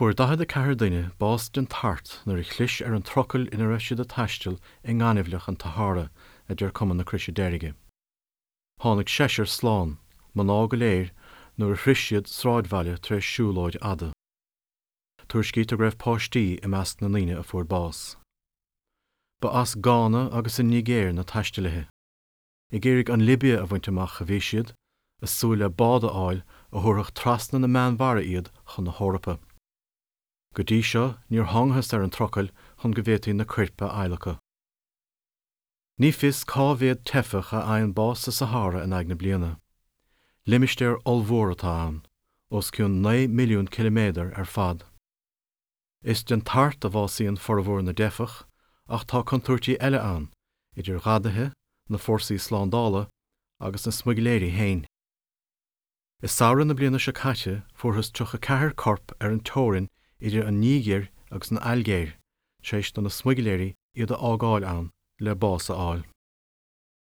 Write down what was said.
Fuair 44 duine bás den tart nuair a chlis ar an trucail ina raibh siad ag taisteal i ngaineamhlach an tSahára, a deir Cumann na Croise Deirge. Tháinig seisear slán, mná go léir, nuair a shroich siad sráidbhaile tar éis siúlóid fhada. Tuairiscítear go raibh páistí i measc na ndaoine a fuair bás. Ba as Gána agus an Nigéir na taistealaithe. Ag iarraidh an Libia a bhaint amach a bhí siad, ag súil le bád a fháil a thabharfadh trasna na Meánmhara iad chun na hEorpa. Go dtí seo níor thángthas ar an trucail chun go bhféadfaí na coirp a adhlacadh. Ní fios cá mhéad teifeach a fhaigheann bás sa Sahára in aghaidh na bliana. Limistéar ollmhór atá ann, os cionn 9 milliún ciliméadar ar fad. Is den tart a bhásaíonn formhór na dteifeach ach tá contúirtí eile ann, idir ghadaithe, na fórsaí slándála agus na smuigléirí féin. I samhradh na bliana seo caite fuarthas 34 corp ar an teorainn idir an Nigéir agus an Ailgéir tar éis do na smuigléirí iad a fhágáil ann le bás a fháil.